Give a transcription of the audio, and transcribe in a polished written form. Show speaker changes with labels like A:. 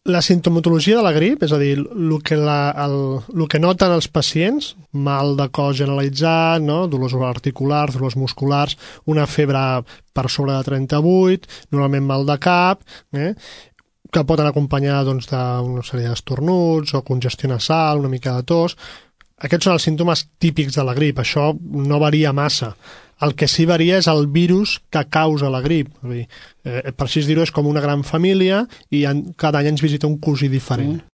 A: La sintomatologia de la grip, és a dir, el que noten els pacients, mal de cos generalitzat, no? Dolors articulars, dolors musculars, una febre per sobre de 38, normalment mal de cap, que poden acompanyar doncs, d'una sèrie d'estornuts o congestió nasal, una mica de tos. Aquests són els símptomes típics de la grip, això no varia massa. El que sí varia és el virus que causa la grip. Per així dir-ho, és com una gran família i cada any ens visita un cosí diferent.